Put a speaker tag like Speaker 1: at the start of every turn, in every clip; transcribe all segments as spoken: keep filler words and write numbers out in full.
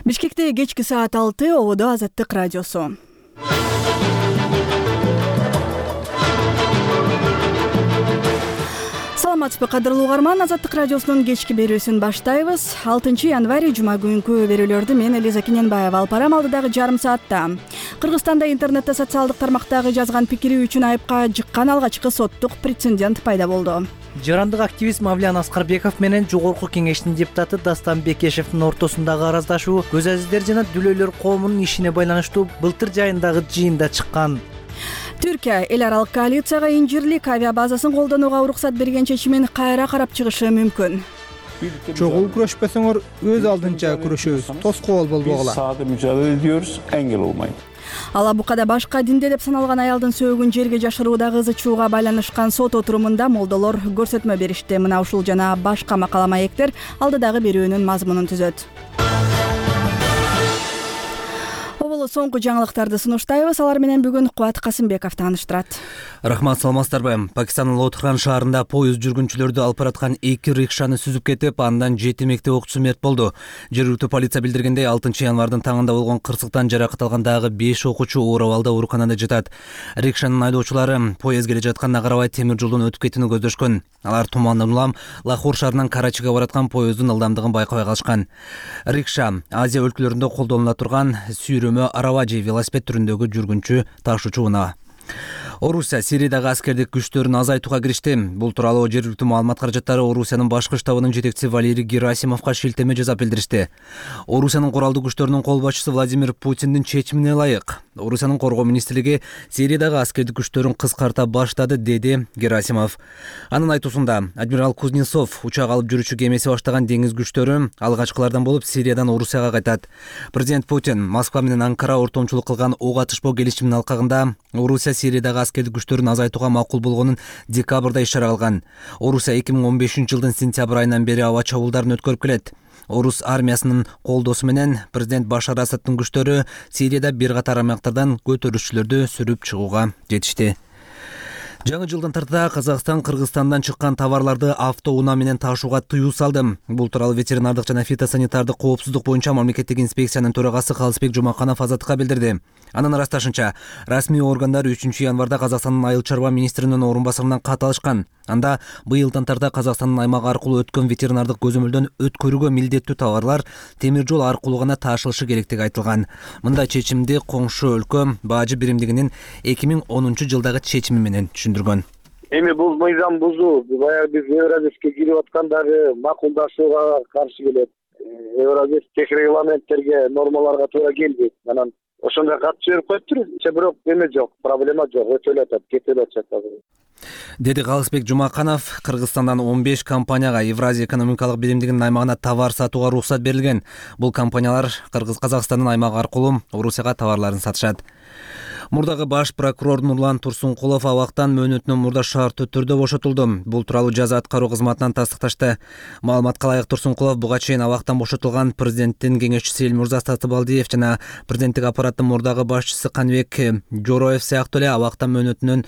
Speaker 1: Бишкекте кечки саат алты, ободо Азаттык радиосу. Саламатсызбы, кадырлуу угарман, Азаттык радиосунун кечки берүүсүн баштайбыз. алтынчы январь жума күнкү берүүлөрдү мен Элиза Кененбаева алып барам. Алдыдагы жарым саатта Кыргызстанда интернетте социалдык тармактагы жазган пикири үчүн айыпка жыккан алгачкы соттук прецедент пайда болду.
Speaker 2: Жарандык активист Мавлян Аскарбеков менен Жогорку кеңештин депутаты Дастан Бекешевдин ортосундагы араздашуу көз азиздер жана дүлөйлөр коомунун ишине байланыштуу былтыр жайындагы жыйында чыккан.
Speaker 1: Түркия эл аралык коалицияга инжирлик авиа базасын колдонууга уруксат берген чечимин кайра карап чыгышы мүмкүн.
Speaker 3: Чогуу күрөшпөсөңөр өз алдынча күрөшөбүз, тоскоол болбогула.
Speaker 4: Sahada mücadele ediyoruz, engel olmayın.
Speaker 1: Ала Букада башка динде деп саналган аялдын сөөгүн жерге жашырууда кызы чууга байланышкан сот отурумунда молдолор көрсөтмө беришти. Мына ушул жана башка макала маектер алдыдагы берүүнүн мазмунун түзөт. Оболу соңку жаңылыктарды сунуштайбыз. Алар менен бүгүн Кубат Касымбеков тааныштырат.
Speaker 2: Рахмат, саламатсыздарбы? Пакистандын Лотхран шаарында поезд жүргүнчүлөрдү алып бараткан эки рикшаны сүзүп кетип, андан жети мектеп окуучусу мерт болду. Жергиликтүү полиция билдиргендей, алтынчы январдын таңында болгон кырсыктан жаракат алган дагы беш окуучу оор абалда ооруканада жатат. Рикшанын айдоочулары поезд келе жатканына карабай темир жолдон өтүп кетүүнү көздөшкөн. Алар тумандан улам Лахор шаарынан Карачига бараткан поезддин ылдамдыгын байкабай калышкан. Рикша Азия өлкөлөрүндө колдонула турган сүйрөмө араважи велосипед түрүндөгү жүргүнчү ташуучу унаа. Орусия Сириядагы аскердик күчтөрүн азайтууга киришти. Бул тууралуу жергиликтүү маалымат каражаттары Орусиянын башкы штабынын жетекчиси Валерий Герасимовго шилтеме жасап билдиришти. Орусиянын куралдуу күчтөрүнүн кол башчысы Владимир Путиндин чечимине ылайык Орусиянын коргоо министрлиги Сириядагы аскердик күчтөрүн кыскарта баштады, деди Герасимов. Анын айтуусунда адмирал Кузнецов учак алып жүрүүчү кемеси баштаган деңиз күчтөрү алгачкылардан болуп Сириядан Орусияга кайтат. Президент Путин Москва менен Анкара ортомчулук кылган ок атышпоо келишиминин алкагында Орусия Сириядагы аскердик күчтөрүн азайтууга макул болгонун декабрда ишара кылган. Орусия эки миң он бешинчи жылдын сентябрь айынан бери аба чабуулдарын өткөрүп келет. Орус армиясынын колдоосу менен президент Башар Асадтын күчтөрү Сирияда бир катар аймактардан көтөрүлүшчүлөрдү сүрүп чыгууга жетишти. Жаңы жылдын тартыда Казакстан Кыргызстандан чыккан товарларды автоунаа менен ташууга тыюу салды. Бул тууралуу ветеринардык жана фитосанитардык коопсуздук боюнча мамлекеттик инспекциянын төрагасы Калысбек Жумаканов Азаттыкка билдирди. Анын ырасташынча, расмий органдар үчүнчү январда Казакстандын айыл чарба министринин орун басарынан кат алышкан. Анда быйылдан тарта Казакстандын аймагы аркылуу өткөн ветеринардык көзөмөлдөн өткөрүүгө милдеттүү товарлар темир жол аркылуу гана ташылышы керектиги айтылган. Мындай чечимди коңшу өлкө бажы биримдигинин эки миң онунчу жылдагы чечими менен түшүндүргөн.
Speaker 5: Эми бул мыйзам бузуу баягы биз Евразиске кирип аткандагы макулдашууга каршы келет. Евразис тех регламенттерге, нормаларга туура келбейт. Анан ошондой кат жиберип коюптур. Бирок эме жок, проблема жок, өтөлүп атат, кетип атат азыр.
Speaker 2: Деди Калысбек Жумаканов. Кыргызстандан он беш компанияга Евразия экономикалык биримдигинин аймагына товар сатууга уруксат берилген. Бул компаниялар Кыргыз Казакстандын аймагы аркылуу Орусияга товарларын сатышат. Мурдагы баш прокурор Нурлан Турсункулов абактан мөөнөтүнөн мурда шарттуу түрдө бошотулду. Бул тууралуу жаза аткаруу кызматынан тастыкташты. Маалыматка ылайык, Турсункулов буга чейин абактан бошотулган президенттин кеңешчиси Элмурза Татыбалдиев жана президенттик аппараттын мурдагы башчысы Каныбек Жороев сыяктуу эле абактан мөөнөтүнөн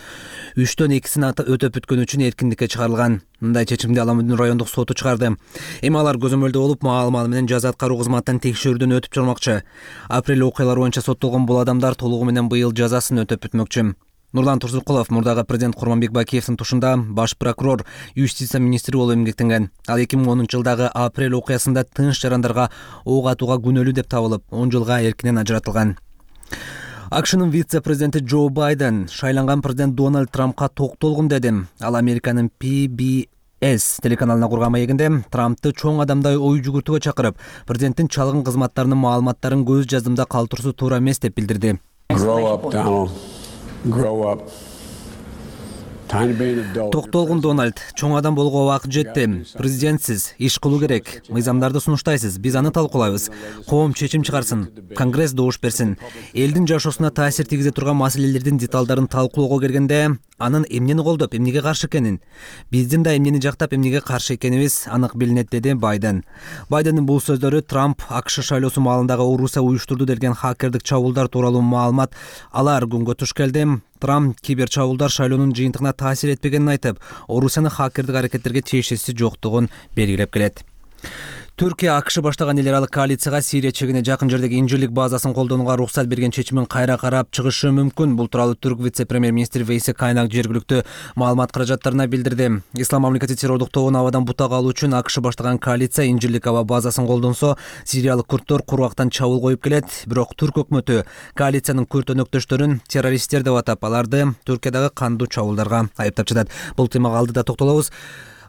Speaker 2: үчтөн экисин өтөп бүткөн үчүн эркиндикке чыгарылган. Мындай чечимди Аламүдүн райондук соту чыгарды. Эми алар көзөмөлдө болуп, маал-маал менен жаза аткаруу кызматынан текшерүүдөн өтүп чыкмакчы. Апрель окуялары боюнча соттолгон бул адамдар толугу менен быйыл жазасын өтөп бүтмөкчү. Нурлан Турсункулов мурдагы президент Курманбек Бакиевдин тушунда баш прокурор, юстиция министри болуп эмгектенген. Ал эки миң онунчу жылдагы апрель окуясында тынч жарандарга ок атууга күнөөлүү деп табылып, он жылга эркинен ажыратылган. АКШнын вице-президенти Джо Байден шайланган президент Дональд Трампка токтолгум деди. Ал Американын Пи Би Эс телеканалына курган маегинде Трампты чоң адамдай ой жүгүртүүгө чакырып, президенттин чалгын кызматтарынын маалыматтарын көз жаздымда калтыруусу туура эмес деп билдирди.
Speaker 4: Grow up, Donald. Grow up.
Speaker 2: Токтолгун Дональд, чоң адам болгого убакыт жетти. Президентсиз иш кылуу керек. Мыйзамдарды сунуштайсыз, биз аны талкуулайбыз. Коом чечим чыгарсын, Конгресс добуш берсин. Элдин жашоосуна таасир тийгизе турган маселелердин деталдарын талкуулоого келгенде, анын эмнени колдоп, эмнеге каршы экенин, биздин да эмнени жактап, эмнеге каршы экенибиз анык билинет, деди Байден. Байдендин бул сөздөрү Трамп АКШ шайлоосу маалындагы Орусия уюштурду делген хакердик чабуулдар тууралуу маалымат алар күнгө туш келди. Трамп кибер чабуулдар шайлоонун жыйынтыгына таасир этпегенин айтып, Орусиянын хакердик аракеттерге тиешеси жоктугун белгилеп келет. Түркия АКШ баштаган эл аралык коалицияга Сирия чегине жакын жердеги инжирлик базасын колдонууга уруксат берген чечимин кайра карап чыгышы мүмкүн. Бул тууралуу түрк вице-премьер-министри Вейси Кайнак жергиликтүү маалымат каражаттарына билдирди. Ислам мамлекети террордук тобун абадан бутак алуу үчүн АКШ баштаган коалиция инжирлик аба базасын колдонсо, сириялык курдтор кургактан чабуул коюп келет. Бирок түрк өкмөтү коалициянын күрт өнөктөштөрүн террористтер деп атап, аларды Түркиядагы кандуу чабуулдарга айыптап жатат. Бул темага алдыда токтолобуз.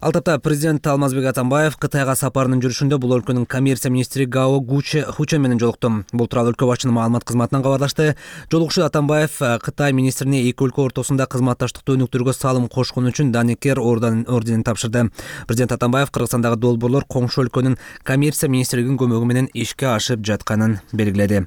Speaker 2: Ал тапта президент Алмазбек Атамбаев Кытайга сапарынын жүрүшүндө бул өлкөнүн коммерция министри Гао Хучен менен жолукту. Бул тууралуу өлкө башчынын маалымат кызматынан кабарлашты. Жолугушууда Атамбаев Кытай министрине эки өлкө ортосунда кызматташтыкты өнүктүрүүгө салым кошкону үчүн Даникер орденин тапшырды. Президент Атамбаев Кыргызстандагы долбоорлор коңшу өлкөнүн коммерция министрлигинин көмөгү менен ишке ашып жатканын белгиледи.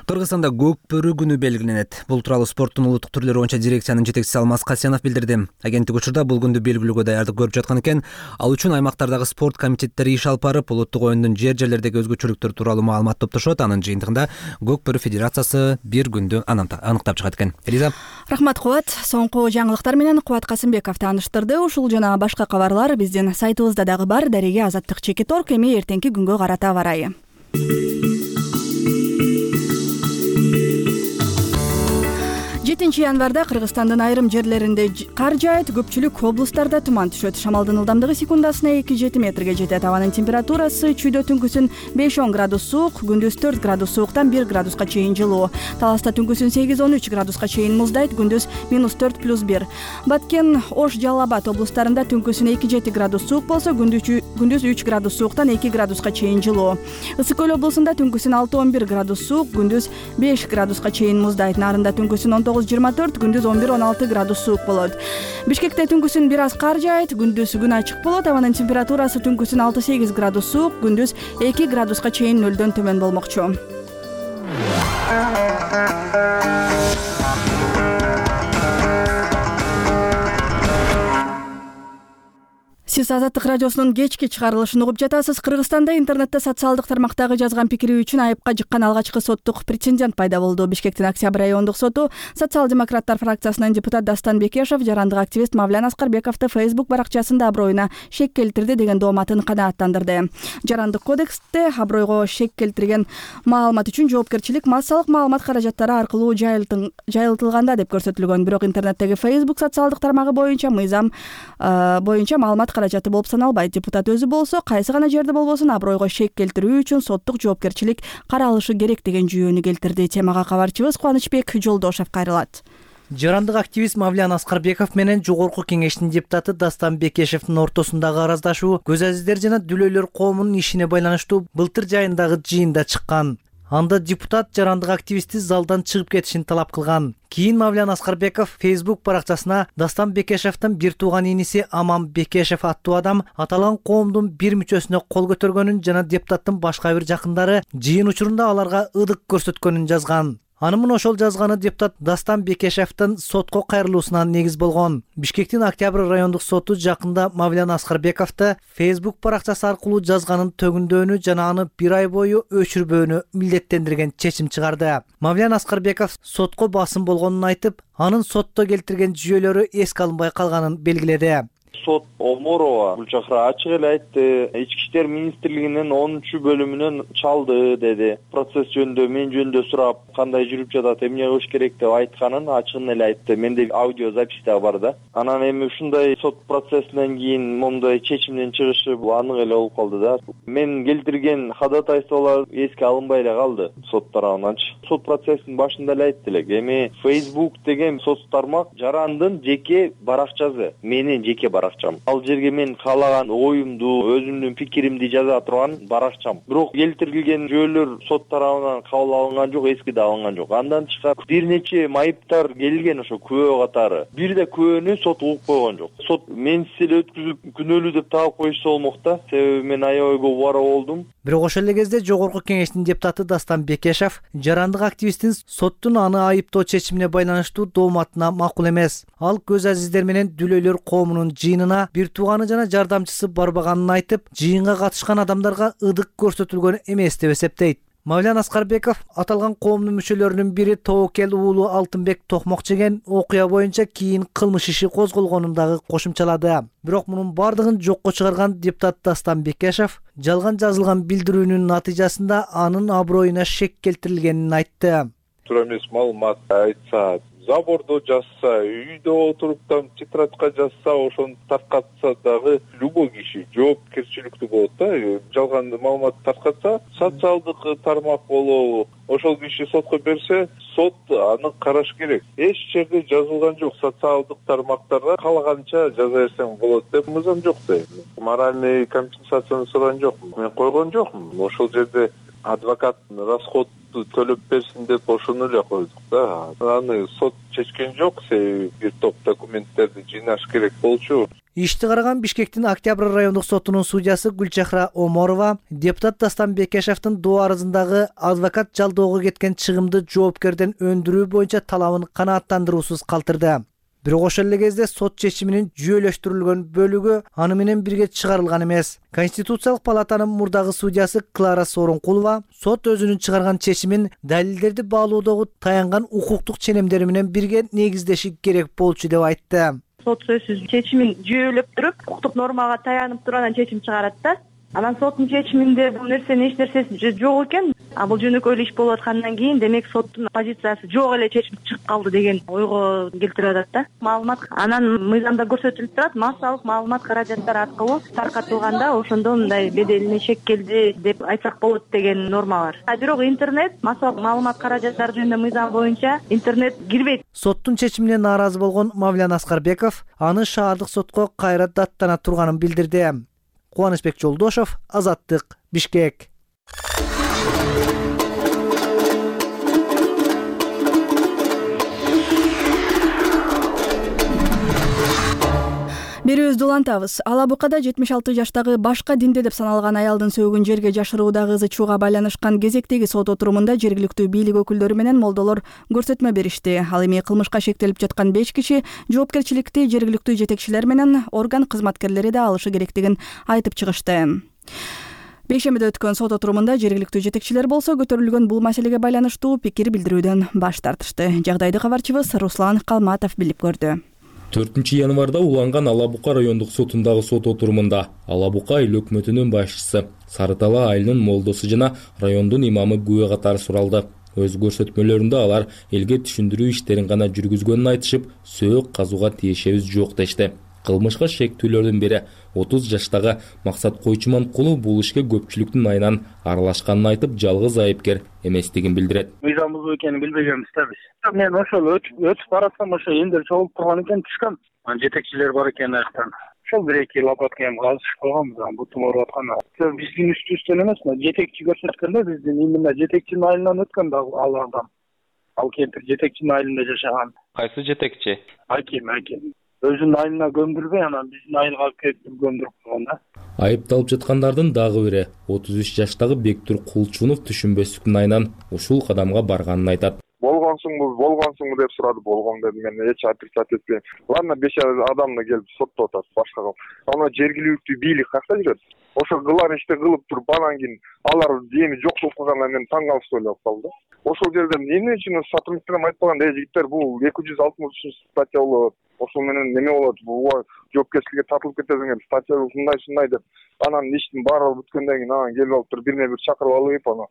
Speaker 2: Кыргызстанда көк бөрү күнү белгиленет. Бул тууралуу спорттун улуттук түрлөрү боюнча дирекциянын жетекчиси Алмаз Касенов билдирди. Агенттик учурда бул күндү белгилөөгө даярдык көрүп жаткан экен. Ал үчүн аймактардагы спорт комитеттери иш алып барып, улуттук оюндун жер-жерлердеги өзгөчөлүктөр тууралуу маалымат топтошот. Анын жыйынтыгында көк бөрү федерациясы бир күндү аныктап чыгат экен. Элиза.
Speaker 1: Рахмат Кубат. Соңку жаңылыктар менен Кубат Касымбеков тааныштырды. Ушул жана башка кабарлар биздин сайтыбызда дагы бар. Дареге Азаттык Чекит орг. Эми эртеңки күнгө карата барайы. жетинчи январда Кыргызстандын айрым жерлеринде кар жаайт, көпчүлүк облустарда туман түшөт. Шамалдын ылдамдыгы секундасына эки жети метрге жетет. Абанын температурасы чүйдө түнкүсүн беш он градус суук, күндүз төрт градус сууктан бир градуска чейин жылуу. Таласта түнкүсүн сегиз он үч градуска чейин муздайт, күндүз минус төрт плюс бир. Баткен, Ош, Жалал Абад облустарында түнкүсүн эки жети градус суук болсо, күндүз үч градус сууктан эки градуска чейин жылуу. Ысык көл облусунда түнкүсүн алты он бир градус суук, күндүз беш градуска чейин муздайт. Нарында түнкүсүн он тогуз жыйырма төрт, күндүз он бир он алты градус суук болот. Бишкекте түнкүсүн бир аз кар жаайт, күндүз күн ачык болот. Абанын температурасы түнкүсүн алты сегиз градус суук, күндүз эки градуска чейин нөлдөн төмөн болмокчу. Сиз Азаттык радиосунун кечки чыгарылышын угуп жатасыз. Кыргызстанда интернетте социалдык тармактагы жазган пикири үчүн айыпка жыккан алгачкы соттук прецедент пайда болду. Бишкектин Октябрь райондук соту социал-демократтар фракциясынын депутат Дастан Бекешев жарандык активист Мавлян Аскарбековду Facebook баракчасында аброюна шек келтирди деген дооматын канааттандырды. Жарандык кодексте абройго шек келтирген маалымат үчүн жоопкерчилик массалык маалымат каражаттары аркылуу жайылтылганда деп көрсөтүлгөн. Бирок интернеттеги Facebook социалдык тармагы боюнча мыйзам боюнча маалымат каражаты болуп саналбайт. Депутат өзү болсо кайсы гана жерде болбосун абройго шек келтирүү үчүн соттук жоопкерчилик каралышы керек деген жүйөнү келтирди. Темага кабарчыбыз Кубанычбек Жолдошев кайрылат.
Speaker 6: Жарандык активист Мавлян Аскарбеков менен жогорку кеңештин депутаты Дастан Бекешевдин ортосундагы араздашуу көз азиздер жана дүлөйлөр коомунун ишине байланыштуу былтыр жайындагы жыйында чыккан. Анда депутат жарандык активистти залдан чыгып кетишин талап кылган. Кийин Мавлян Аскарбеков Facebook баракчасына Дастан Бекешевдин бир тууган иниси Аман Бекешев аттуу адам аталган коомдун бир мүчөсүнө кол көтөргөнүн жана депутаттын башка бир жакындары жыйын учурунда аларга ырдык көрсөткөнүн жазган. Анымын ошол жазганы депутат Дастан Бекешевдин сотко кайрылуусуна негиз болгон. Бишкектин Октябрь райондук соту жакында Мавлян Аскарбековду Facebook баракчасы аркылуу жазганын төгүндөөнү жана аны бир ай бою өчүрбөөнү милдеттендирген чечим чыгарды. Мавлян Аскарбеков сотко басым болгонун айтып, анын сотто келтирген жүйөлөрү эске алынбай калганын белгиледи.
Speaker 7: Сот Оморова Гүлчахра ачык эле айтты. Ички иштер министрлигинин онунчу бөлүмүнөн чалды деди. Процесс жөнүндө мен жөнүндө сурап, кандай жүрүп жатат, эмне кылыш керек деп айтканын ачыгын эле айтты. Менде аудио запись да бар да. Анан эми ушундай сот процессинен кийин момундай чечимден чыгышы анык эле болуп калды да. Мен келтирген ходатайстволор эске алынбай эле калды сот тарабынанчы. Сот процессинин башында эле айтты элек. Эми Facebook деген соц тармак жарандын жеке баракчасы, менин жеке баракчам. Ал жерге мен каалаган оюмду, өзүмдүн пикиримди жаза турган баракчам. Бирок келтирилген жүйөлөр сот тарабынан кабыл алынган жок, эски да алынган жок. Андан тышкары бир нече майыптар келген ошо күбө катары. Бир да күбөнү сот угуп койгон жок. Сот менсиз эле өткүзүп күнөөлүү деп таап коюшса болмок да. Себеби мен аябай көп убара болдум.
Speaker 6: Бирок ошол эле кезде жогорку кеңештин депутаты Дастан Бекешев жарандык активисттин соттун аны айыптоо чечимине байланыштуу дооматына макул эмес. Ал көз азиздер менен дүлөйлөр коомунун жыйынына бир тууганы жана жардамчысы барбаганын айтып, жыйынга катышкан адамдарга ыдык көрсөтүлгөн эмес деп эсептейт. Мавлян Аскарбеков аталган коомдун мүчөлөрүнүн бири тобокел уулу Алтынбек токмок жеген окуя боюнча кийин кылмыш иши козголгонун дагы кошумчалады. Бирок мунун бардыгын жокко чыгарган депутат Дастан Бекешев жалган жазылган билдирүүнүн натыйжасында анын аброюна шек келтирилгенин айтты.
Speaker 8: Туура эмес маалымат айтса, забордо жазса, үйдө отуруп там тетрадка жазса, ошону таркатса дагы любой киши жоопкерчиликтүү болот да. Жалган маалымат таркатса, социалдык тармак болобу, ошол киши сотко берсе, сот аны караш керек. Эч жерде жазылган жок, социалдык тармактарда каалаганча жаза берсең болот деп мыйзам жок да. Моральный компенсацияны сураган жокмун. Мен койгон жокмун. Ошол жерде адвокат расходду төлөп берсин деп ошону эле койдук да. Аны сот чечкен жок, себеби бир топ документтерди жыйнаш керек болчу.
Speaker 6: Ишти караган Бишкектин Октябрь райондук сотунун судьясы Гүлчахра Оморова депутат Дастан Бекешевдин доо арызындагы адвокат жалдоого кеткен чыгымды жоопкерден өндүрүү боюнча талабын канааттандыруусуз калтырды. Бирок ошол эле кезде сот чечиминин жүйөлөштүрүлгөн бөлүгү аны менен бирге чыгарылган эмес. Конституциялык палатанын мурдагы судьясы Клара Сооронкулова сот өзүнүн чыгарган чечимин далилдерди баалоодогу таянган укуктук ченемдери менен бирге негиздеши керек болчу деп айтты.
Speaker 9: Сот сөзсүз чечимин жүйөлөп туруп, укуктук нормага таянып турган чечим чыгарат да. Анан соттун чечиминде бул нерсенин эч нерсеси жок экен. А бул жөнөкөйлүү иш болуп аткандан кийин демек соттун позициясы жок эле чечим чыгып калды деген ойго келтирип атат да. Маалымат анан мыйзамда көрсөтүлүп турат, массалык маалымат каражаттар аркылуу таркатылганда ошондо мындай беделине шек келди деп айтсак болот деген норма бар. А бирок интернет, массалык маалымат каражаттары жөнүндө мыйзам боюнча интернет кирбейт.
Speaker 6: Соттун чечимине нааразы болгон Мавлян Аскарбеков аны шаардык сотко кайра даттана турганын билдирди. Кубанычбек Жолдошов, Азаттык, Бишкек.
Speaker 1: Берүүбүздү улантабыз. Ала Букада жетимиш алты жаштагы башка динде деп саналган аялдын сөөгүн жерге жашыруудагы ызы чууга байланышкан кезектеги сот отурумунда жергиликтүү бийлик өкүлдөрү менен молдолор көрсөтмө беришти. Ал эми кылмышка шектелип жаткан беш киши жоопкерчиликти жергиликтүү жетекчилер менен орган кызматкерлери да алышы керектигин айтып чыгышты. Бейшембиде өткөн сот отурумунда жергиликтүү жетекчилер болсо көтөрүлгөн бул маселеге байланыштуу пикир билдирүүдөн баш тартышты. Жагдайды кабарчыбыз Руслан Калматов билип көрдү.
Speaker 10: төртүнчү январда уланган Ала Бука райондук сотундагы сот отурумунда Ала Бука айыл өкмөтүнүн башчысы Сары Тала айылынын молдосу жана райондун имамы күбө катары суралды. Өз көрсөтмөлөрүндө алар элге түшүндүрүү иштерин гана жүргүзгөнүн айтышып, сөөк казууга тиешебиз жок дешти. Кылмышка шектүүлөрдүн бири отуз жаштагы Максат Койчуманкулу бул ишке көпчүлүктүн айынан аралашканын айтып, жалгыз айыпкер эместигин билдирет.
Speaker 11: Мыйзам бузуу экенин билбегенбиз да биз. Мен ошол өтүп баратсам ошо эндер чогулуп турган экен, түшкөм. Жетекчилер бар экен аяктан. Ошол бир эки лопатка эми казышып койгонбуз, бутум ооруп атканда. Биздин үстүбүздөн эмес, жетекчи көрсөткөндө биздин именно жетекчинин айылынан өткөн да ал адам. Ал кемпир жетекчинин айылында жашаган.
Speaker 10: Кайсы жетекчи?
Speaker 11: Аким, аким. Өзүнүн айылына көмдүрбөй, анан биздин айылга алып келип көмдүрүп койгон да.
Speaker 10: Айыпталып жаткандардын дагы бири отуз үч жаштагы Бектур Кулчунов түшүнбөстүктүн айынан ушул кадамга барганын айтат.
Speaker 8: Болгонсуңбу, болгонсуңбу деп сурады. Болгон дедим, мен эч отрицать этпейм. Ладно, беш адамды келип соттоп атат, башка кылып. Ана жергиликтүү бийлик какта жүрөт? Ошо кылар ишти кылып туруп, анан кийин алар эми жок болуп калганда мен таң калып ойлоп калдым. Ошол жерде эмне үчүн сотрудниктер айтпаган, э жигиттер, бул эки жүз алтымыш үчүнчү статья болот. Ошол менен неме болот? Бул жоопкерчиликке тартылып кетесиңер, статья ушундай-ушундай деп. Анан иштин баары бүткөндөн кийин анан келип алып туруп бирне бир чакырып алып, аны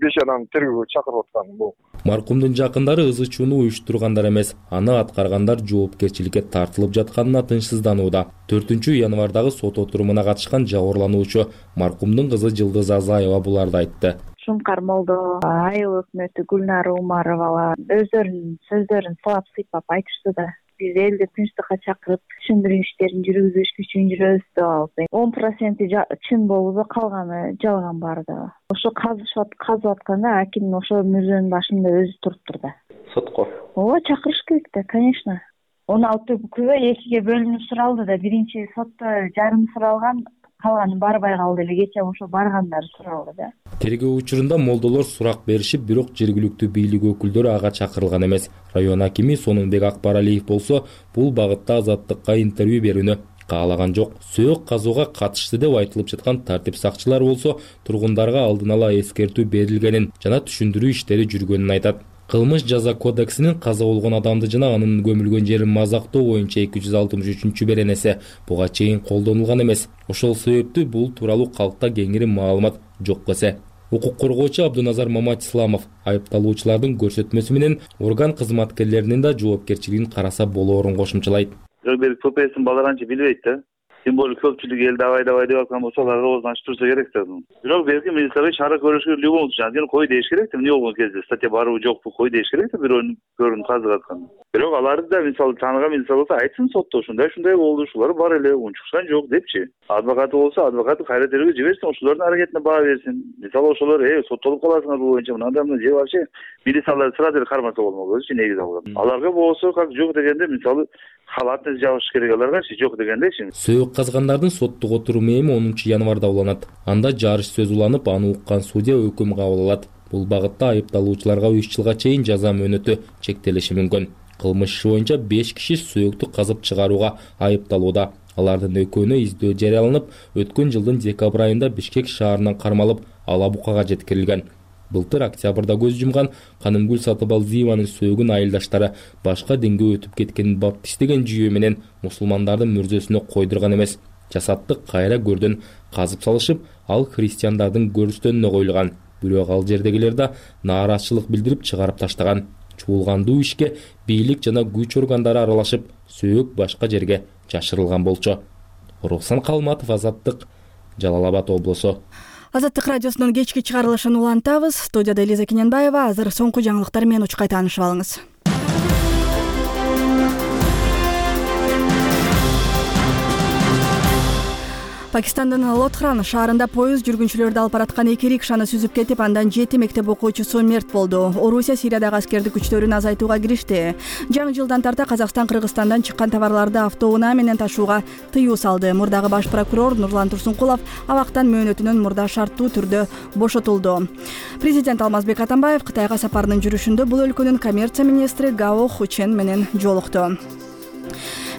Speaker 8: беш адам тергөөгө чакырып аткан бул.
Speaker 10: Маркумдун жакындары ызы чууну уюштургандар эмес, аны аткаргандар жоопкерчиликке тартылып жатканына тынчсызданууда. төртүнчү январдагы сот отурумуна катышкан жабырлануучу маркумдун кызы Жылдыз Азаева буларды айтты.
Speaker 12: Шумкар молдо, айыл өкмөтү Гүлнара Умаровалар өздөрүнүн сөздөрүн сылап сыйпап айтышты да. Биз элди тынчтыкка чакырып, түшүндүрүү иштерин жүргүзүш үчүн жүрөбүз деп алып. он проценти чын болууда, калганы жалган бар да. Ошо казышып казып атканда аким ошо мүрзөнүн башында өзү туруптур да.
Speaker 10: Сотко?
Speaker 12: Ооба, чакырыш керек да, конечно. он алты күбө экиге бөлүнүп суралды да. Биринчи сотто жарым суралган, калганы барбай калды эле. Кечээ ошо баргандар суралды да.
Speaker 10: Тергөө учурунда молдолор сурак беришип, бирок жергиликтүү бийлик өкүлдөрү ага чакырылган эмес. Район акими Сонунбек Акбаралиев болсо бул багытта Азаттыкка интервью берүүнү каалаган жок. Сөөк казууга катышты деп айтылып жаткан тартип сакчылары болсо тургундарга алдын ала эскертүү берилгенин жана түшүндүрүү иштери жүргөнүн айтат. Кылмыш жаза кодексинин каза болгон адамды жана анын көмүлгөн жерин мазактоо боюнча эки жүз алтымыш үчүнчү беренеси буга чейин колдонулган эмес. Ошол себептүү бул тууралуу калкта кеңири маалымат жок эсе. Укук коргоочу Абдуназар Маматисламов айыпталуучулардын көрсөтмөсү менен орган кызматкерлеринин да жоопкерчилигин караса болоорун кошумчалайт.
Speaker 13: Бир ППСин баларанчы билбейт да. Тем более көпчүлүк эл давай давай деп аткан болсо аларга оозун ачып турса керек да. Бирок белки милицияга чара көрүшкө в любом случае анткени кой деш керек да. Эмне болгон кезде статья барбы жокпу кой деш керек да бирөөнүн көрүн казык аткан. Бирок аларды да мисалы тааныган милиция болсо айтсын сотто ушундай ушундай болду, ушулар бар эле, унчуксан жок депчи. Адвокаты болсо адвокаты кайра тергөө жиберсин, ошолордун аракетине баа берсин. Мисалы ошолор э соттолуп каласыңар бул боюнча мынандай мына же вообще милициялар сразу эле кармаса болмокчу негиз алган. Аларга болсо как жок дегенде мисалы халатты жабыш керек аларгачы жок дегендечи.
Speaker 10: Сөөк казгандардын соттук отуруму эми онунчу январда уланат. Анда жарыш сөз уланып, аны уккан судья өкүм кабыл алат. Бул багытта айыпталуучуларга үч жылга чейин жаза мөөнөтү чектелиши мүмкүн. Кылмыш иши боюнча беш киши сөөктү казып чыгарууга айыпталууда. Алардын экөөнө издөө жарыяланып, өткөн жылдын декабрь айында Бишкек шаарынан кармалып, Ала Букага жеткирилген. Былтыр октябрда көз жумган Канымгүл Сатыбалдиеванын сөөгүн айылдаштары башка динге өтүп кеткенин баптистеген жүйө менен мусулмандардын мүрзөсүнө койдурган эмес. Жасатты кайра көрдөн казып салышып, ал христиандардын көрүстөнүнө коюлган. Бирок ал жердегилер да нааразычылык билдирип чыгарып таштаган. Чуулгандуу ишке бийлик жана күч органдары аралашып, сөөк башка жерге жашырылган болчу. Рухсан Калматов, Азаттык, Жалал Абад облусу.
Speaker 1: Азаттык радиосунун кечки чыгарылышын улантабыз. Студияда Элиза Кененбаева. Азыр соңку жаңылыктар менен учкай таанышып алыңыз. Пакистандын Лотхран шаарында поезд жүргүнчүлөрдү алып бараткан эки рикшаны сүзүп кетип, андан жети мектеп окуучусу мерт болду. Орусия Сириядагы аскердик күчтөрүн азайтууга киришти. Жаңы жылдан тарта Казакстан Кыргызстандан чыккан товарларды автоунаа менен ташууга тыюу салды. Мурдагы баш прокурор Нурлан Турсункулов абактан мөөнөтүнөн мурда шарттуу түрдө бошотулду. Президент Алмазбек Атамбаев Кытайга сапарынын жүрүшүндө бул өлкөнүн коммерция министри Гао Хучен менен жолукту.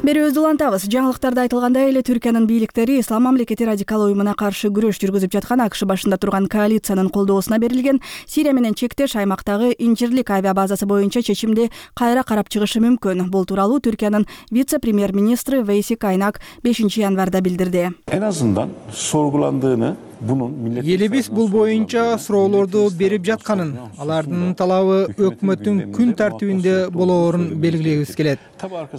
Speaker 1: Берүүбүздү улантабыз. Жаңылыктарда айтылгандай эле Түркиянын бийликтери Ислам мамлекети радикал уюмуна каршы күрөш жүргүзүп жаткан АКШ башында турган коалициянын колдоосуна берилген Сирия менен чектеш аймактагы Инжирлик авиабазасы боюнча чечимди кайра карап чыгышы мүмкүн. Бул тууралуу Түркиянын вице-премьер-министри Вейси Кайнак бешинчи январда билдирди.
Speaker 4: En azından sorgulandığını
Speaker 3: Элибиз бул боюнча суроолорду берип жатканын, алардын талабы өкмөттүн күн тартибинде болоорун белгилегибиз келет.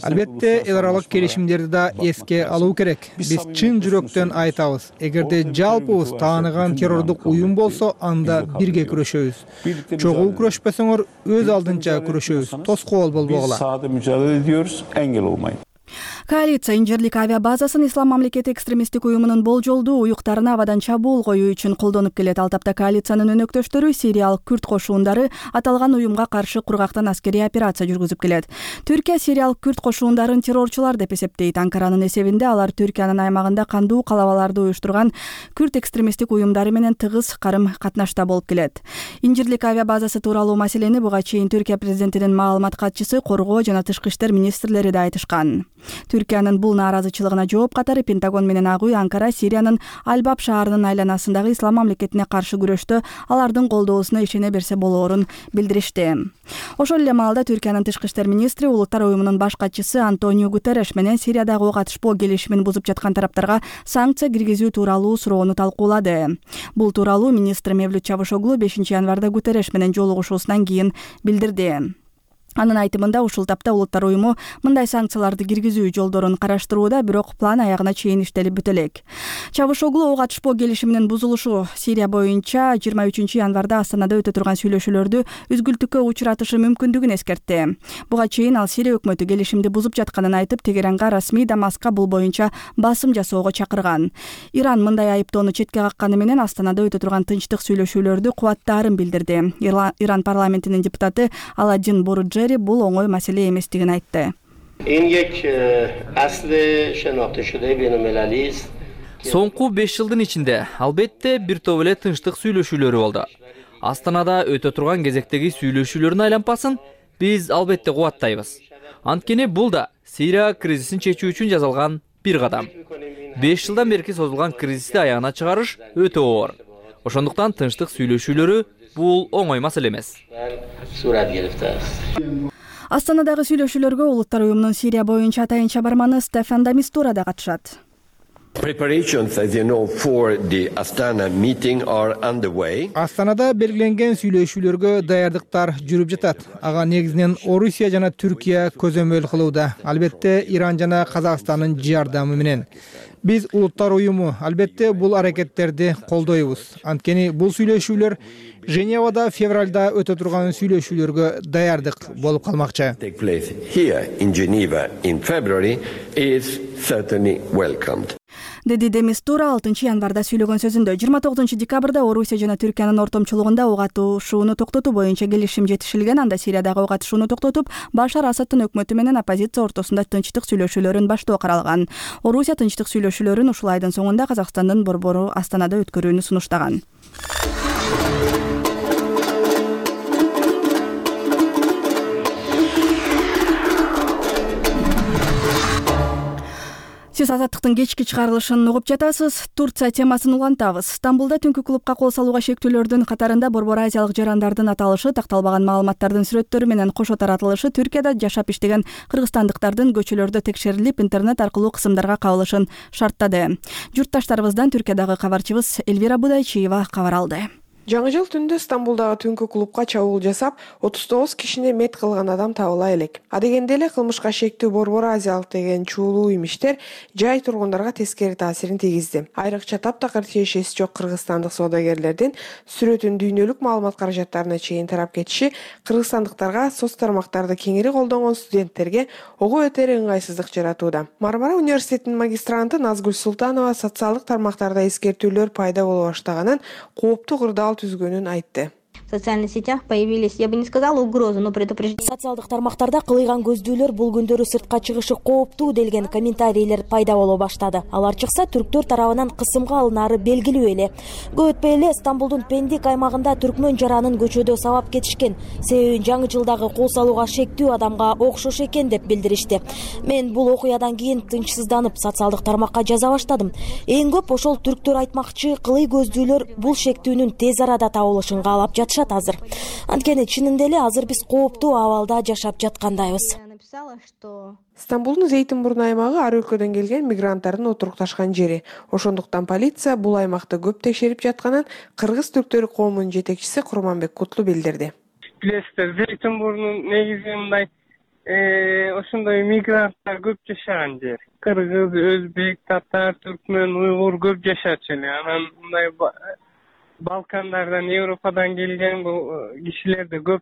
Speaker 3: Албетте, эл аралык келишимдерди да эске алуу керек. Биз чын жүрөктөн айтабыз, эгерде жалпыбыз тааныган террордук уюм болсо, анда бирге күрөшөбүз. Чогуу күрөшпөсөңөр, өз алдынча күрөшөбүз. Тоскоол болбогула.
Speaker 4: Biz sahada mücadele ediyoruz, engel olmayın.
Speaker 1: Коалиция Инжирлик авиабазасын Ислам мамлекети экстремисттик уюмунун болжолдуу уюктарына абадан чабуул коюу үчүн колдонуп келет. Ал тапта коалициянын өнөктөштөрү Сириялык күрд кошуундары аталган уюмга каршы кургактан аскерий операция жүргүзүп келет. Түркия Сириялык күрд кошуундарын террорчулар деп эсептейт. Анкаранын эсебинде алар Түркиянын аймагында кандуу калабаларды уюштурган күрд экстремисттик уюмдары менен тыгыз карым катнашта болуп келет. Инжирлик авиабазасы тууралуу маселени буга чейин Түркия президентинин маалымат катчысы, коргоо жана тышкы иштер министрлери да айтышкан. Түркиянын бул нааразычылыгына жооп катары Пентагон менен Ак үй Анкара Сириянын Албаб шаарынын айланасындагы Ислам мамлекетине каршы күрөштө алардын колдоосуна ишене берсе болоорун билдиришти. Ошол эле маалда Түркиянын тышкы иштер министри Улуттар уюмунун баш катчысы Антонио Гутерреш менен Сириядагы ок атышпоо келишимин бузуп жаткан тараптарга санкция киргизүү тууралуу суроону талкуулады. Бул тууралуу министр Мевлют Чавушоглу бешинчи январда Гутерреш менен жолугушуусунан кийин билдирди. Анын айтымында ушул тапта Улуттар уюму мындай санкцияларды киргизүү жолдорун караштырууда, бирок план аягына чейин иштелип бүтө элек. Чавушоглу ок атышпоо келишиминин бузулушу Сирия боюнча жыйырма үчүнчү январда Астанада өтө турган сүйлөшүүлөрдү үзгүлтүккө учуратышы мүмкүндүгүн эскертти. Буга чейин ал Сирия өкмөтү келишимди бузуп жатканын айтып, Тегеранга расмий Дамаска бул боюнча басым жасоого чакырган. Иран мындай айыптоону четке какканы менен Астанада өтө турган тынчтык сүйлөшүүлөрдү кубаттаарын билдирди. Иран парламентинин депутаты Аладдин Боруджи бул оңой маселе эместигин айтты.
Speaker 14: Соңку беш жылдын ичинде албетте бир топ эле тынчтык сүйлөшүүлөрү болду. Астанада өтө турган кезектеги сүйлөшүүлөрдүн айланпасын биз албетте кубаттайбыз. Анткени бул да Сирия кризисин чечүү үчүн жасалган бир кадам. беш жылдан берки созулган кризисти аягына чыгарыш өтө оор. Ошондуктан тынчтык сүйлөшүүлөрү бул оңой маселе эмес.
Speaker 1: Астанадагы сүйлөшүүлөргө Улуттар уюмунун Сирия боюнча атайынча барманы Стефан де Мистура да катышат.
Speaker 15: Preparations, as you know, for the Astana meeting are underway.
Speaker 3: Астанада белгиленген сүйлөшүүлөргө даярдыктар жүрүп жатат. Ага негизинен Орусия жана Түркия көзөмөл кылууда. Албетте Иран жана Казакстандын жардамы менен. Биз Улуттар уюму албетте бул аракеттерди колдойбуз. Анткени бул сүйлөшүүлөр Женевада февралда өтө турган сүйлөшүүлөргө даярдык болуп калмакчы.
Speaker 15: Take place here in Geneva in February is certainly welcomed.
Speaker 1: Деди де Мистура алтынчы январда сүйлөгөн сөзүндө жыйырма тогузунчу декабрда Орусия жана Түркиянын ортомчулугунда ок атышууну токтотуу боюнча келишим жетишилген. Анда Сириядагы ок атышууну токтотуп, Башар Асаддын өкмөтү менен оппозиция ортосунда тынчтык сүйлөшүүлөрүн баштоо каралган. Орусия тынчтык сүйлөшүүлөрүн ушул айдын соңунда Казакстандын борбору Астанада өткөрүүнү сунуштаган. Сиз азаттыктын кечки чыгарылышын угуп жатасыз. Турция темасын улантабыз. Стамбулда түнкү клубка кол салууга шектүүлөрдүн катарында Борбор Азиялык жарандардын аталышы, такталбаган маалыматтардын сүрөттөрү менен кошо таратылышы, Түркияда жашап иштеген кыргызстандыктардын көчөлөрдө текшерилип, интернет аркылуу кысымдарга кабылышын шарттады. Журтташтарыбыздан Түркиядагы кабарчыбыз Эльвира Будайчиева кабар алды.
Speaker 16: Жаңы жыл түндө Стамбулдагы түнкү клубка чабуул жасап, отуз тогуз кишини мет кылган адам табыла элек. Адегенде эле кылмышка шектүү Борбор Азиялык деген чуулуу имиштер жай тургундарга тескери таасирин тийгизди. Айрыкча таптакыр тиешеси жок кыргызстандык соодагерлердин сүрөтүн дүйнөлүк маалымат каражаттарына чейин тарап кетиши кыргызстандыктарга соц тармактарды кеңири колдонгон студенттерге ого өтөр ыңгайсыздык жаратууда. Мармара университетинин магистранты Назгүл Султанова социалдык тармактарда эскертүүлөр пайда боло баштаганын, кооптуу кырдаал түзгөнүн айтты.
Speaker 17: В социальных сетях появились, я бы не сказала угрозы, но предупреждение.
Speaker 18: Социалдык тармактарда кылыйган көздүүлөр бул күндөрү сыртка чыгышы кооптуу делген комментарийлер пайда боло баштады. Алар чыкса түрктөр тарабынан кысымга алынары белгилүү эле. Көп өтпөй эле Стамбулдун Пендик аймагында түркмөн жаранын көчөдө сабап кетишкен. Себеби жаңы жылдагы кол салууга шектүү адамга окшош экен деп билдиришти. Мен бул окуядан кийин тынчсызданып социалдык тармакка жаза баштадым. Эң көп ошол түрктөр айтмакчы, кылый көздүүлөр бул шектүүнүн тез арада табылышын каалап жатышат азыр. Анткени чынында эле азыр биз кооптуу абалда жашап жаткандайбыз.
Speaker 16: Стамбулдун Зейтинбурн аймагы ар өлкөдөн келген мигранттардын отурукташкан жери. Ошондуктан полиция бул аймакты көп текшерип жатканын кыргыз түрктөр коомунун жетекчиси Курманбек Кутлу билдирди.
Speaker 19: Билесиздер, Зейтинбурн негизи мындай ошондой мигранттар көп жашаган жер. Кыргыз, өзбек, татар, түркмөн, уйгур көп жашачу эле. Анан мындай Балкандардан, Европадан келген бул кишилер да көп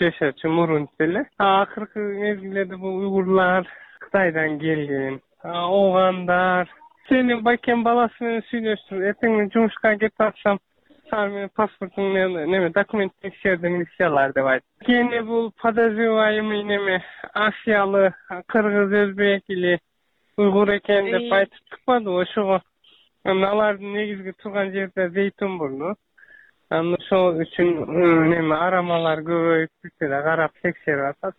Speaker 19: жашачу мурун эле. Акыркы мезгилдерде бул уйгурлар Кытайдан келген, огандар. Сени байкен баласы менен сүйлөштүм. Эртең жумушка кетип атсам, сага менен паспортуң неме документ текшердиң десе алар деп айтты. Кийин бул подозреваемый неме Асиялы, кыргыз, өзбек или уйгур экен деп айтып чыкпады. Ошого алардын негизги турган жерде Зейтинбурн. Аны ошол үчүн неме арамалар көбөйүп бүткөдө карап текшерип атат.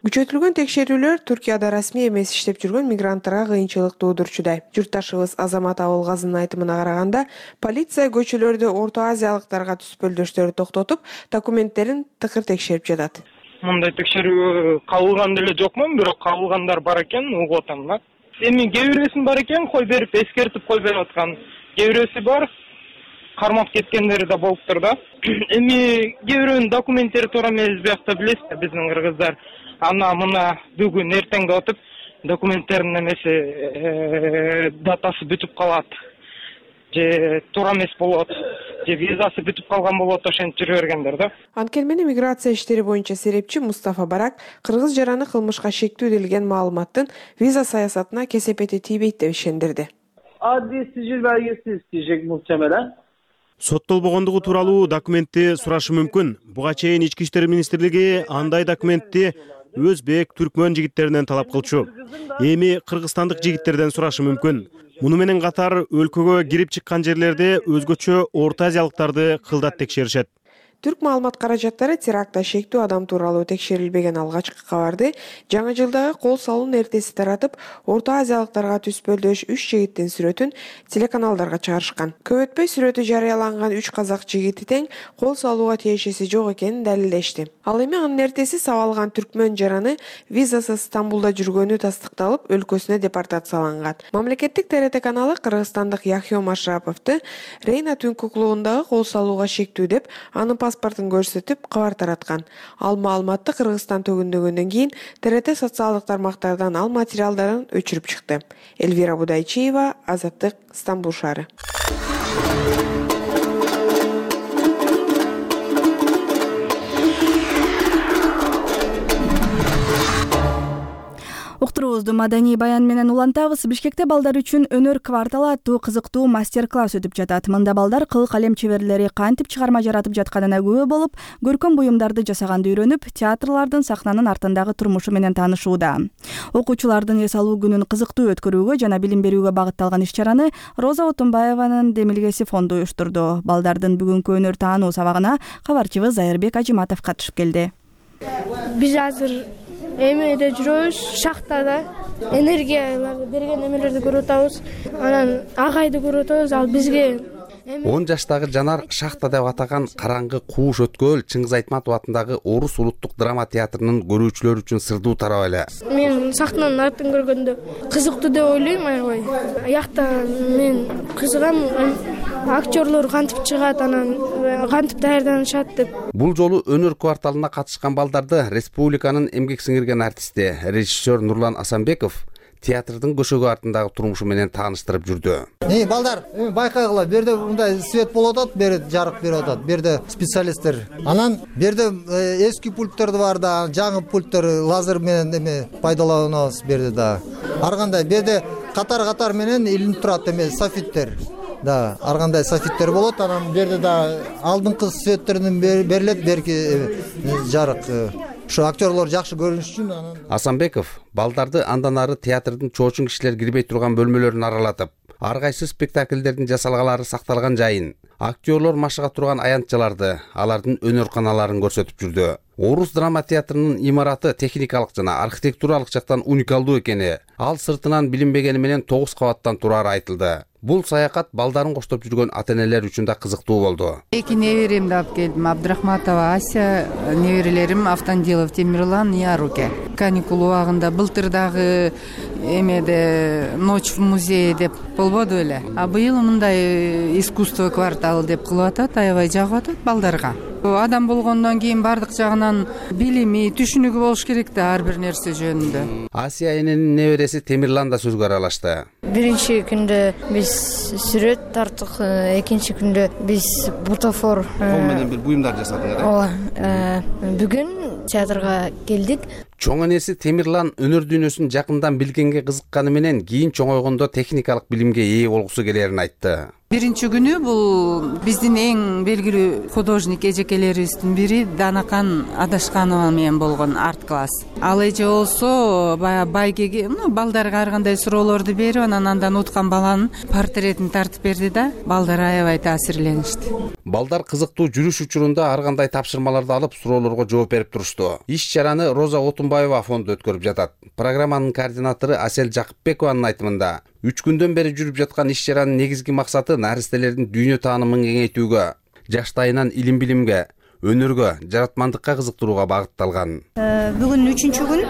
Speaker 16: Күчөтүлгөн текшерүүлөр Түркияда расмий эмес иштеп жүргөн мигранттарга кыйынчылык туудурчудай. Журтташыбыз Азамат Абылгазынын айтымына караганда, полиция көчөлөрдө Орто Азиялыктарга түспөлдөштөрү токтотуп, документтерин тыкыр текшерип жатат.
Speaker 19: Мындай текшерүү кабылган деле жокмун, бирок кабылгандар бар экен, угуп атам да. Эми кээ бирөөсүн бар экен, кой берип эскертип кой берип аткан. Кээ бирөөсү бар, кармап кеткендери да болуптур да. Эми кээ бирөөнүн документтери туура эмес биякта билесиз, биздин кыргыздар ана мына бүгүн эртең деп атып, документтеринин эмеси датасы бүтүп калат. Же туура эмес болот, же визасы бүтүп калган болот, ошентип жүрө бергендер да.
Speaker 16: Анткени миграция иштери боюнча серепчи Мустафа Барак кыргыз жараны кылмышка шектүү делген маалыматтын виза саясатына кесепети тийбейт деп ишендирди.
Speaker 20: Adli sicil belgesi isteyecek muhtemelen.
Speaker 21: Соттолбогондугу тууралуу документти сурашы мүмкүн. Буга чейин Ички иштер министрлиги андай документти өзбек, түркмөн жигиттеринен талап кылчу. Эми кыргызстандык жигиттерден сурашы мүмкүн. Муну менен катар өлкөгө кирип чыккан жерлерде өзгөчө Орто Азиялыктарды кылдат текшеришет.
Speaker 16: Түрк маалымат каражаттары терактта шектүү адам тууралуу текшерилбеген алгачкы кабарды жаңы жылдагы кол салуунун эртеси таратып, Орто Азиялыктарга түспөлдөш үч жигиттин сүрөтүн телеканалдарга чыгарышкан. Көп өтпөй сүрөтү жарыяланган үч казак жигити тең кол салууга тиешеси жок экенин далилдешти. Ал эми анын эртеси сабалган түркмөн жараны визасыз Стамбулда жүргөнү тастыкталып, өлкөсүнө депортацияланган. Мамлекеттик Т Р Т каналы кыргызстандык Яхьом Ашраповду Рейна түнкү клубундагы кол салууга шектүү деп, анын паспортун көрсөтүп кабар тараткан. Ал маалыматты Кыргызстан төгүндөгөндөн кийин Т Р Т социалдык тармактардан ал материалдарын өчүрүп чыкты. Эльвира Будайчиева, Азаттык, Стамбул шаары.
Speaker 1: Уктуруубузду маданий баян менен улантабыз. Бишкекте балдар үчүн өнөр кварталы аттуу кызыктуу мастер-класс өтүп жатат. Мында балдар кыл калем чеберлери кантип чыгарма жаратып жатканына күбө болуп, көркөм буюмдарды жасаганды үйрөнүп, театрлардын сахнанын артындагы турмушу менен таанышууда. Окуучулардын эс алуу күнүн кызыктуу өткөрүүгө жана билим берүүгө багытталган иш-чараны Роза Отунбаеванын Демилгеси фонду уюштурду. Балдардын бүгүнкү өнөр таануу сабагына кабарчыбыз Айырбек Ажиматов катышып келди.
Speaker 5: Биз азыр эмеде жүрөбүз, шахтада энергияларды берген эмелерди көрүп атабыз. Анан агайды көрүп атабыз. Ал бизге
Speaker 22: он жаштагы Жанар шахта деп атаган караңгы кууш өткөл Чыңгыз Айтматов атындагы Орус улуттук драма театрынын көрүүчүлөр үчүн сырдуу тарап эле.
Speaker 5: Мен сахнанын артын көргөндө кызыктуу деп ойлойм, аябай. Аякта мен кызыгам, актерлор кантип чыгат, анан кантип даярданышат деп.
Speaker 22: Бул жолу өнөр кварталына катышкан балдарды республиканын эмгек сиңирген артисти, режиссер Нурлан Асанбеков театрдын көшөгү артындагы турмушу менен тааныштырып жүрдү.
Speaker 23: Эй, балдар, байкагыла, бу жерде мындай свет болуп атат, бери жарык берип атат. Бу жерде специалисттер. Анан бу жерде эски пульттер бар да, жаңы пульттер лазер менен эме пайдаланабыз бу жерде да. Ар кандай бу жерде катар-катар менен илинип турат эме софиттер. Да, ар кандай софиттер болот. Анан бу жерде да алдыңкы светтерден берилет, берки жарык. Ошо актерлор жакшы көрүнүш үчүн. Анан
Speaker 22: Асанбеков балдарды андан ары театрдын чоочун кишилер кирбей турган бөлмөлөрүн аралатып, ар кайсы спектакльдердин жасалгалары сакталган жайын, актерлор машыга турган аянтчаларды, алардын өнөр каналарын көрсөтүп жүрдү. Орус драма театрынын имараты техникалык жана архитектуралык жактан уникалдуу экени, ал сыртынан билинбегени менен тогуз кабаттан турары айтылды. Бул саякат балдарын коштоп жүргөн ата-энелер үчүн да кызыктуу болду.
Speaker 24: Эки неберемди алып келдим. Абдрахматова Ася, неберелерим Автандилов Темирлан, Яруке. Каникул убагында былтыр дагы эмеде ночь в музее деп болбоду эле. А быйыл мындай искусство кварталы деп кылып атат, аябай жагып атат балдарга. Адам болгондон кийин бардык жагынан билими, түшүнүгү болуш керек да ар бир нерсе жөнүндө.
Speaker 22: Асия эненин небереси Темирлан да сөзгө аралашты.
Speaker 25: Биринчи күндө биз сүрөт тарттык, экинчи күндө биз бутафор
Speaker 22: кол менен бир буюмдар жасадыңар.
Speaker 25: Ооба. Бүгүн театрга келдик.
Speaker 22: Чоң энеси Темирлан өнөр дүйнөсүн жакындан билгенге кызыкканы менен кийин чоңойгондо техникалык билимге ээ болгусу келерин айтты.
Speaker 24: Биринчи күнү бул биздин эң белгилүү художник эжекелерибиздин бири Данакан Адашканова менен болгон арт класс. Ал эже болсо баягы байгеге, ну, балдарга ар кандай суроолорду берип, анан андан уткан баланын портретин тартып берди да, балдар аябай таасирленишти.
Speaker 22: Балдар кызыктуу жүрүш учурунда ар кандай тапшырмаларды алып, суроолорго жооп берип турушту. Иш-чараны Роза Отунбаева фонду өткөрүп жатат. Программанын координатору Асел Жакыпбекованын айтымында, үч күндөн бери жүрүп жаткан иш-чаранын негизги максаты наристелердин дүйнө таанымын кеңейтүүгө, жаштайынан илим билимге, өнөргө, жаратмандыкка кызыктырууга багытталган.
Speaker 26: Бүгүн үчүнчү күн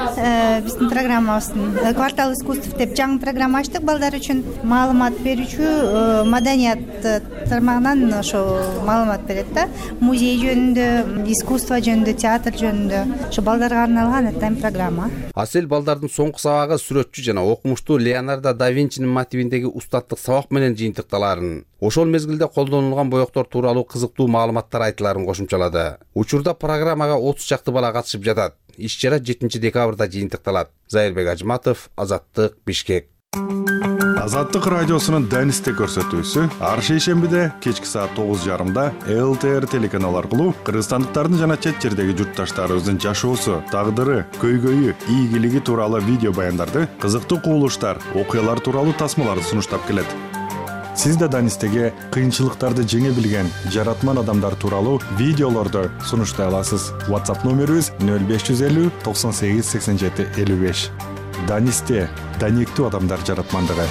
Speaker 26: биздин программабыздын квартал искусств деп жаңы программа ачтык. Балдар үчүн маалымат берүүчү маданият тармагынан ошо маалымат берет да. Музей жөнүндө, искусство жөнүндө, театр жөнүндө. Ошо балдарга арналган этем программа.
Speaker 22: Асел балдардын соңку сабагы сүрөтчү жана окумуштуу Леонардо да Винчинин мотивиндеги устаттык сабак менен жыйынтыкталарын, ошол мезгилде колдонулган боектор тууралуу кызыктуу маалыматтар айтыларын кошумчалады. Учурда программага отуз чакты бала катышып жатат. Иш-чара жетинчи декабрда жыйынтыкталат. Зайырбек Ажиматов, Азаттык, Бишкек.
Speaker 27: Азаттык радиосунун Денисте көрсөтүүсү ар шейшембиде кечки саат тогуз жарымда Л Т Р телеканалы аркылуу кыргызстандыктардын жана чет жердеги журтташтарыбыздын жашоосу, тагдыры, көйгөйү, ийгилиги тууралуу видео баяндарды, кызыктуу кубулуштар, окуялар тууралуу тасмаларды сунуштап келет. Сиз да Данистеге кыйынчылыктарды жеңе билген жаратман адамдар тууралуу видеолорду сунуштай аласыз. WhatsApp номерибиз нөл беш жүз элүү токсон сегиз сексен жети элүү беш. Данисте даниктүү адамдар жаратмандыгы.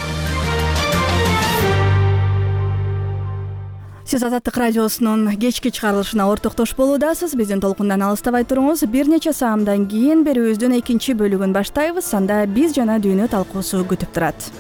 Speaker 1: Сиз Азаттык радиосунун кечки чыгарылышына ортоктош болуудасыз. Биздин толкундан алыстабай туруңуз. Бир нече саамдан кийин берүүбүздүн экинчи бөлүгүн баштайбыз. Анда биз жана дүйнө талкуусу күтүп турат.